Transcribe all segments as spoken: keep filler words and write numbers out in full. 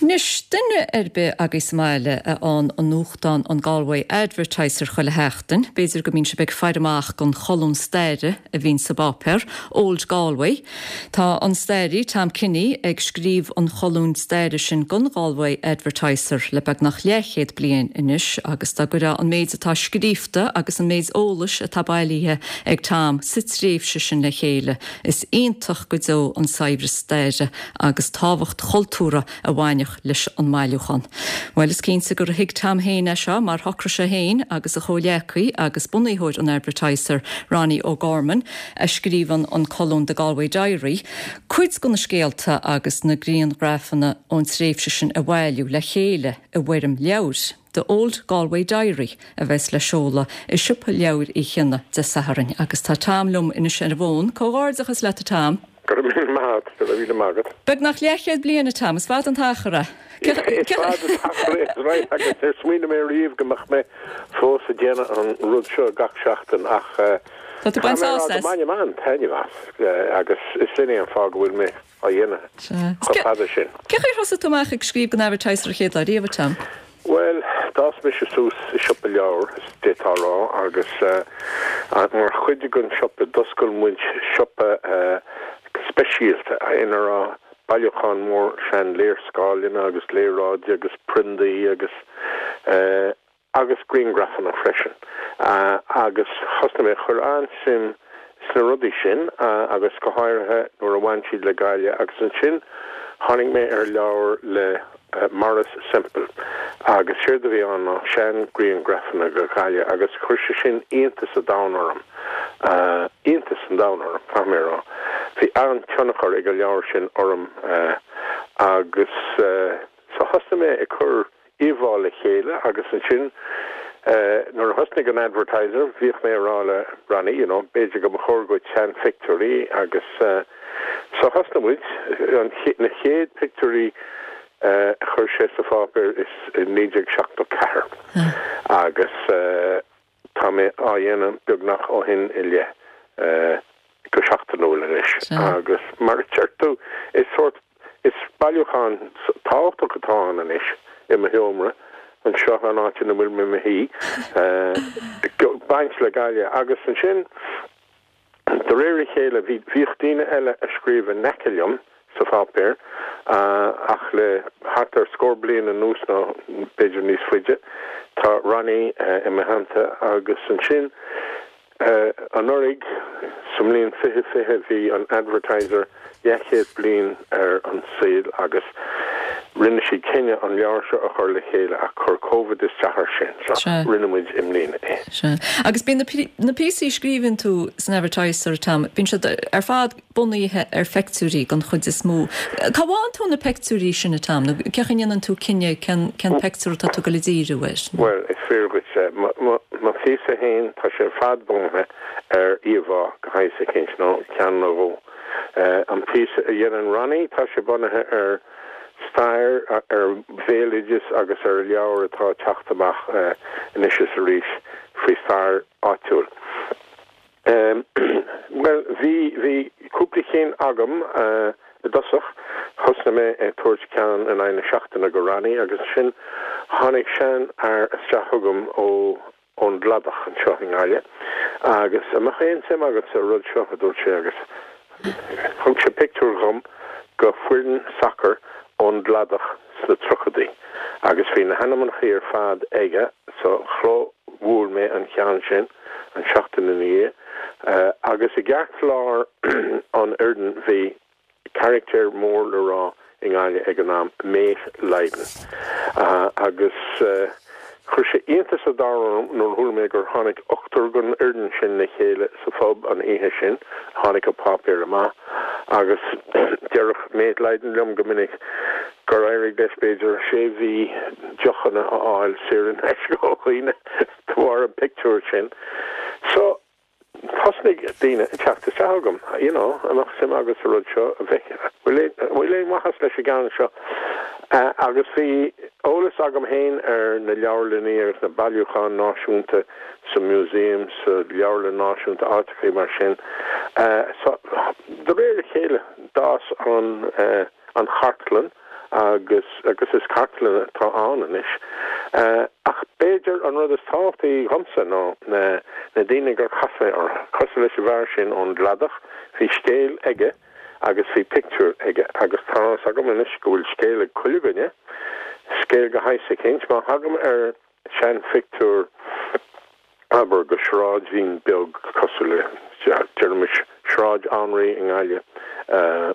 Anois, duine ar bith agaibh sa mbaile a fhaigheann an nuachtán an Galway Advertiser chuile sheachtain, b'fhéidir go mbíonn sibh ag faire amach don cholún staire a bhíonn sa bpáipéar, Old Galway. Tá an staraí Tom Kinney ag scríobh an cholúin staire sin don Galway Advertiser le beagnach leathchéad bliain anois agus dá gcuirfeá an méid atá scríofa agus an méid eolais atá bailithe ag Tom sa tréimhse sin le chéile. Is iontach go deo an saibhreas staire agus tábhacht chultúrtha a bhaineann leis an mbailiúchán. Well is cinnte gur thuig Tom féin é seo mar shocraigh sé féin agus a chomhghleacaí agus bunaitheoir an Advertiser Ronnie O'Gorman a scríobhann an colún The Galway Diary, cuid de na scéalta agus na grianghrafanna ón tréimhse sin a bhailiú le chéile i bhfoirm leabhair. The Old Galway Diary a bheas le seoladh i siopa leabhar Uí Chionnaith Dé Sathairn agus tá Tom liom anois ar an bhfón, Comhghairdeachas leat Tom. Go míle maith go míle maith. Beagnach leathchéad bliain a Tom, is fada an t-achar é. Agus ar smaoinigh mé riamh go mbeadh mé fós ag déanamh an rud seo gach seachtain ach Tá tú baint bainim an-taitneamh as agus is sin é an fáth go bhfuil mé á dhéanamh chomh fada sin. Cén chaoi ar thosaigh tú amach ag scríobh don Advertiser an chéad lá riamh Tom? Well, d'fhás mise suas i siopa leabhar d'fhéadfá a rá agus mar chuid den siopa d'oscail muid siopa speisialta ina raibh bailiúchán mór sean-léarscáileanna agus léaráidí agus priondaí agus uh, agus grianghrafanna freisin. Uh, agus thosnaigh mé chur an-suim sna rudaí sin uh, agus go háirithe nuair a bhain siad le Gaillimh agus ansin tháinig mé ar leabhar le uh, Maurice Semple agus séard a bhí ann ná seanghrianghrafanna de Ghaillimh agus chuir sé sin iontas an domhain orm. Uh, iontas an domhain orm tá mé rá. Bhí an-tionchar ag an leabhar sin orm uh, agus uh, so thosnaigh mé ag cur íomhá le chéile agus ansin uh, nuair a thosnaigh an Advertiser bhíodh mé ag rá le Ronnie you know, b'fhéidir go mba chóir duit seanphictiúirí agus uh, so thosnaigh muid an na chéad pictiúirí uh, chuir sé sa pháipéar is i naoi déag seachtó ceathair agus uh, tá mé á dhéanamh beagnach ó shin i leith uh, go seachtainiúil anois agus mar deir tú is sort is bailiúchán tábhachtach atá ann anois i mo sheomra anseo an áit ina bhfuil mé i mo shuí baint le Gaillimh agus ansin de réir a chéile bhí bhíodh daoine eile ag scríobh in aice liom sa pháipéar ach le thart ar scór bliain anuas nó b'fhéidir níos faide tá Ronnie i mo theannta agus ansin anuraidh sa mbliain fiche fiche bhí an Advertiser leathchéad bliain ar an saol agus rinne siad cinneadh an leabhar seo a chur le chéile ach chuir COVID isteach air sin so rinne muid i mbliana é. Se. Agus bíonn na píosaí a scríobhann tú san Advertiser Tom, bíonn siad ar fad bunaithe ar phictiúirí den chuid is mó. Cá bhfaigheann tú na pictiúirí sin Tom, nó cén chaoi a ndéanann tú cinneadh cén cén pictiúr atá tú ag díriú air. Well is fíor duit mo phíosa féin tá sé fad bunaithe ar íomhá go háirithe cinnte nó ceann nó dhó. Uh, an píosa a dhéanann Ronnie tá sé bunaithe ar stair ar bhéaloideas agus ar leabhar atá ag teacht amach uh, anois is arís faoi stair áitiúil. Um, well bhí bhí cúpla cinn agam uh, i dtosach thosnaigh mé ag tabhairt ceann in aghaidh na seachtaine go Ronnie agus ansin tháinig seanfhear isteach chugam ó ón gCladach anseo i nGaillimh agus an mbeadh aon suim agat sa rud seo a dúirt sé agus thug sé pictiúr dhom de fhoireann sacair ón gCladach sna tríochaidí agus bhí na hainmneacha ar fad aige so chlóbhuail mé an ceann sin an seachtain ina dhiaidh uh, agus i gceartlár an fhoireann bhí carachtar mór le rá i nGaillimh ag an am Mate Lydon uh, agus uh, Chuir sé iontas an domhain orm nuair a chuala mé gur tháinig ochtar den fhoireann sin le chéile sa phub an oíche sin tháinig an páipéar amach agus deireadh Mate Lydon liom go minic gur éirigh leis b'fhéidir sé mhí deochanna a fháil saor in aisce ó dhaoine de bharr an pictiúr sin. So thosnaigh daoine ag teacht isteach chugam you know an mbeadh suim agat sa rud seo a bheith bhfuil aon mhaitheas leis an gceann seo. Uh, agus bhí eolas agam féin ar na leabharlanna agus na bailiúcháin náisiúnta sa museum sa leabharlann náisiúnta áiteacha mar sin. Uh, so de réir a chéile d'fhás an uh, an chartlann agus agus is cartlann atá ann anois. Uh, ach b'fhéidir an rud is tábhachtaí dhomsa ná na, na daoine gur chas mé orthu. Cosúil leis an bhfear sin ón gCladach, bhí scéal aige agus bhí pictiúr aige agus tá a fhios agam anois go bhfuil scéal ag chuile dhuine, scéal de shaghas eicínt, má thagaim ar seanphictiúr abair de shráidbhín beag cosúil le deirimis Sráid Anraí i nGaillimh. Uh,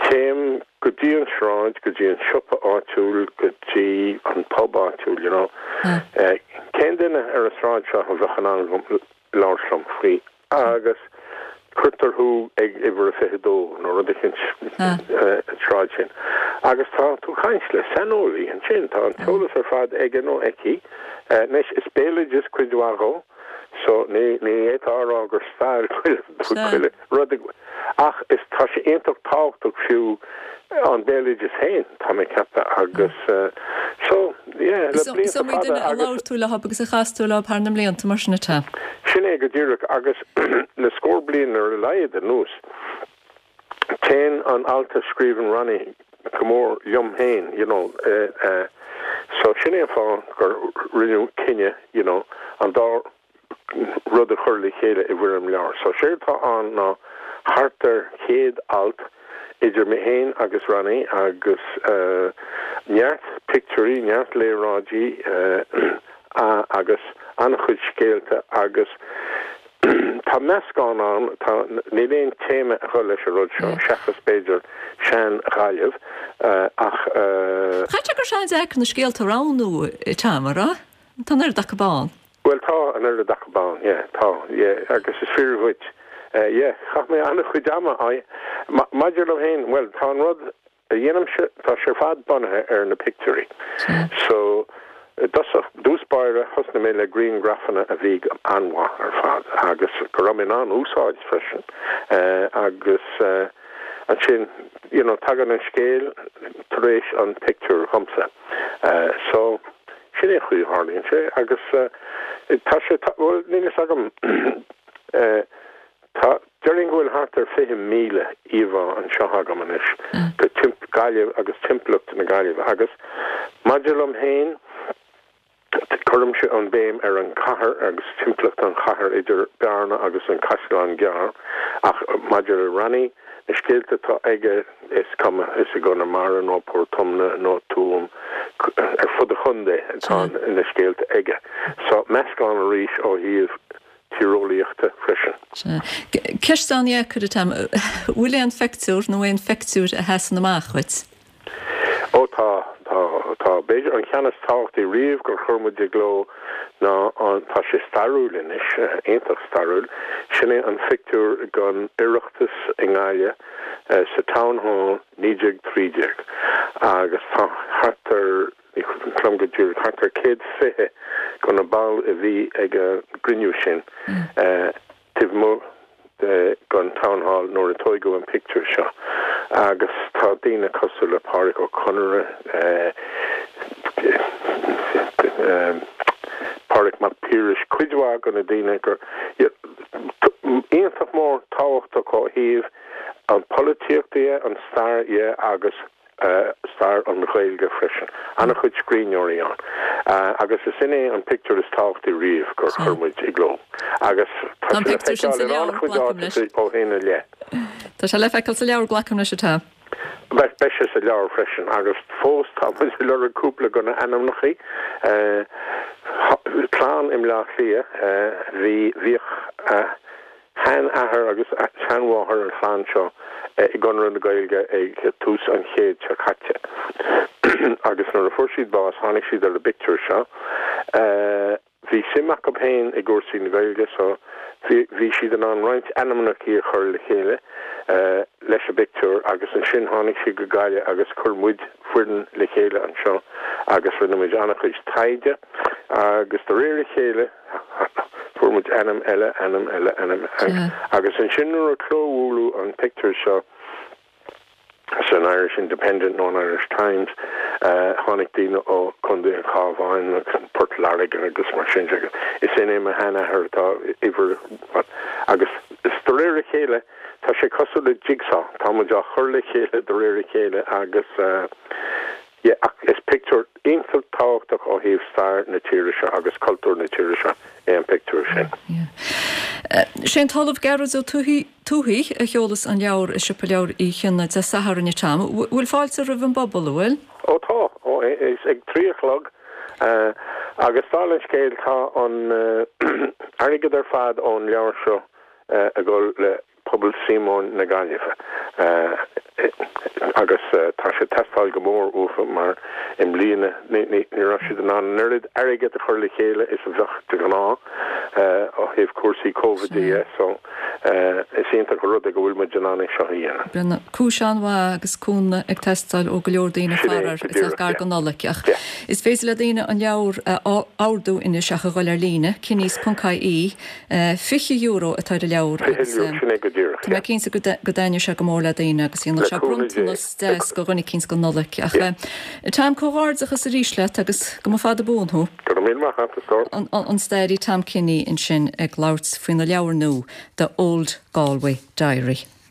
Téim go dtí an sráid, go dtí an siopa áitiúil, go dtí an pub áitiúil, you know. Mm. Uh, cén duine ar an sráid seo a bheadh in ann labhairt liom faoi agus cuirtear thú ag uimhir a fiche dó nó rud eicínt Ah. an sráid sin. Agus tá tú ag caint le saineolaí ansin tá an t-eolas ar fad aige nó aici, uh, anois is béaloideas cuid mhaith dhó, so ní ní fhéadfá a rá gur stair Sea. rud ach is tá sé iontach tábhachtach fiú an béaloideas féin tá mé ag ceapadh agus uh, so yeah, le So blianta so fada duine a agus- labhair tú leo agus a chas tú leo thar na mblianta mar sin atá. Sin é go díreach agus le scór bliain ar a laghad anuas. Téann an alt a scríobhann Ronnie go mór liom féin, you know, uh, uh, so sin é an fáth gur rinneadh cinneadh, you know, an dá rud a chur le chéile i bhfoirm leabhair. So sé tá an ná thart ar céad alt idir mé féin agus Ronnie agus uh, neart pictiúirí, neart léaráidí uh, a, agus an-chuid scéalta agus Tá meascán ann tá níl aon téama a chur leis an rud seo seachas b'fhéidir sean-Ghaillimh uh, ach uh, Chaithfeá gur an-deacair na scéalta a roghnú tamara? Tá an oiread acu ann. Well tá an oiread acu ann, yeah, tá yeah, agus is fíor dhuit. Uh, yeah, chaith mé an-chuid ama ma maidir liom féin, well tá an rud a dhéanaimse tá sé fad bunaithe ar na pictiúirí. So i dtús báire thosnaigh mé le grianghrafanna a bhí an-mhaith ar fad agus go raibh mé in ann úsáid freisin uh, agus uh, ansin you know, tagann an scéal tar éis an pictiúr dhomsa. Uh, so sin é chuí tharlaíonn sé agus uh, tá sé well, níl a fhios agam uh, Tá déarfainn go bhfuil thart ar fiche míle íomhá anseo agam anois de timp Gaillimh agus timpeallacht na Gaillimhe agus maidir liom féin cuirimse an béim ar an cathair agus timpeallacht an chathair idir Bearna agus an Caisleán Gearr ach maidir le Ronnie na scéalta atá aige is cuma is i gConamara nó Port Omna nó Tuaim ar fud an chontae atá na scéalta aige. So meascán arís ó thaobh tíreolaíochta freisin. Ceist an-dheacair atá, bhfuil aon phictiúr nó aon phictiúir a sheasann amach dhuit. Ó tá tá tá b'fhéidir an ceann is tábhachtaí riamh gur chuir muid i gcló ná an tá sé stairiúil anois iontach stairiúil sin é an phictiúr den Oireachtas i nGaillimh uh, sa Town Hall naoi déag trí déag agus tá thart ar clom go dtú thart ar céad fiche de na baill a bhí ag an gcruinniú sin uh, taobh amuigh den Town Hall nuair a tógadh an pictiúr seo agus tá daoine cosúil le Pádraic Ó Conaire uh, um, Pádraig Mac Piarais cuid mhaith de na daoine gur iontach mór tábhachtach ó thaobh an polaitíocht an stair dhe agus uh, stair an Ghaeilge freisin. An-chuid scríbhneoirí ann. Uh, agus is sin é an pictiúr is tábhachtaí riamh gur chuir muid i gcló. Agus Tá an pictiúr sin sa leabhar, glacaim leis. ó shin i leith. Tá sé le feiceáil sa leabhar glacaim leis atá. Beidh beidh sé sa leabhar freisin agus fós tá muid ag lorg cúpla de na hainmneacha uh, clann i mBleá Cliath uh, bhí bhíodh uh, sheanathair agus seanmháthair an chlann seo uh, i gConradh na Gaeilge ag tús an chéid seo caite. agus nuair a fuair siad bás tháinig siad ar an bpictiúr seo. Uh, bhí suim acu féin i gcúrsaí na Gaeilge so bhí bhí siad in ann roinnt ainmneacha a chur le chéile uh, leis an bpictiúr agus ansin tháinig siad go Gaillimh agus chuir muid foireann le chéile anseo agus rinne muid an-chuid taighde agus de réir a chéile fuair muid ainm eile ainm eile ainm Sea. agus ansin nuair a clóbhuaileadh an pictiúr seo san Irish Independent nó Irish Times uh, tháinig daoine ó Chontae an Chabháin agus Port Láirge agus mar sin agus is é mo sheanathair atá iwwer agus Is de réir a chéile, tá sé cosúil le jigsaw, tá muid á chur le chéile de réir a chéile agus yeah, ach is pictiúr iontach tábhachtach ó thaobh stair na tíre seo agus cultúr na tíre seo é an pictiúr sin. Sé an tOllamh Gearóid Ó Tuathaigh a sheolas an leabhar i Siopa Leabhar Uí Chionnaith Dé Sathairn a Tom. Bhfuil fáilte roimh an bpobal bhfuil? Ó tá ó is ag trí a chlog uh, agus dála an scéil tá an uh, airgead ar fad ón leabhar seo uh, ag dul le pobal Síomóin na Gaillimhe. Uh, agus uh, tá sé teastáil go mór uathu mar i mbliana ní raibh siad in ann an oiread airgead a chur le chéile is a bheadh de ghnáth ó thaobh cúrsaí COVID de so is iontach an rud é go bhfuil muid in ann é seo a dhéanamh. Brenna cúis an-mhaith agus cúnamh ag teastáil ó go leor daoine faraor is gar don Nollaig ach is féidir le daoine an leabhar a ordú anois ach a dhul ar líne kinneys.ie fiche euro atá ar an leabhar agus sin é go díreach. Tá mé cinnte go dtaitneoidh sé go mór le daoine agus dhéanfadh sé bronntanas deas go dhuine eicínt don Nollaig ach Tom comhghairdeachas arís leat agus go mba fada buan thú. Go raibh míle maith agat. An staraí Tom Kinney ansin ag labhairt faoina leabhar nua The Old Galway Diary.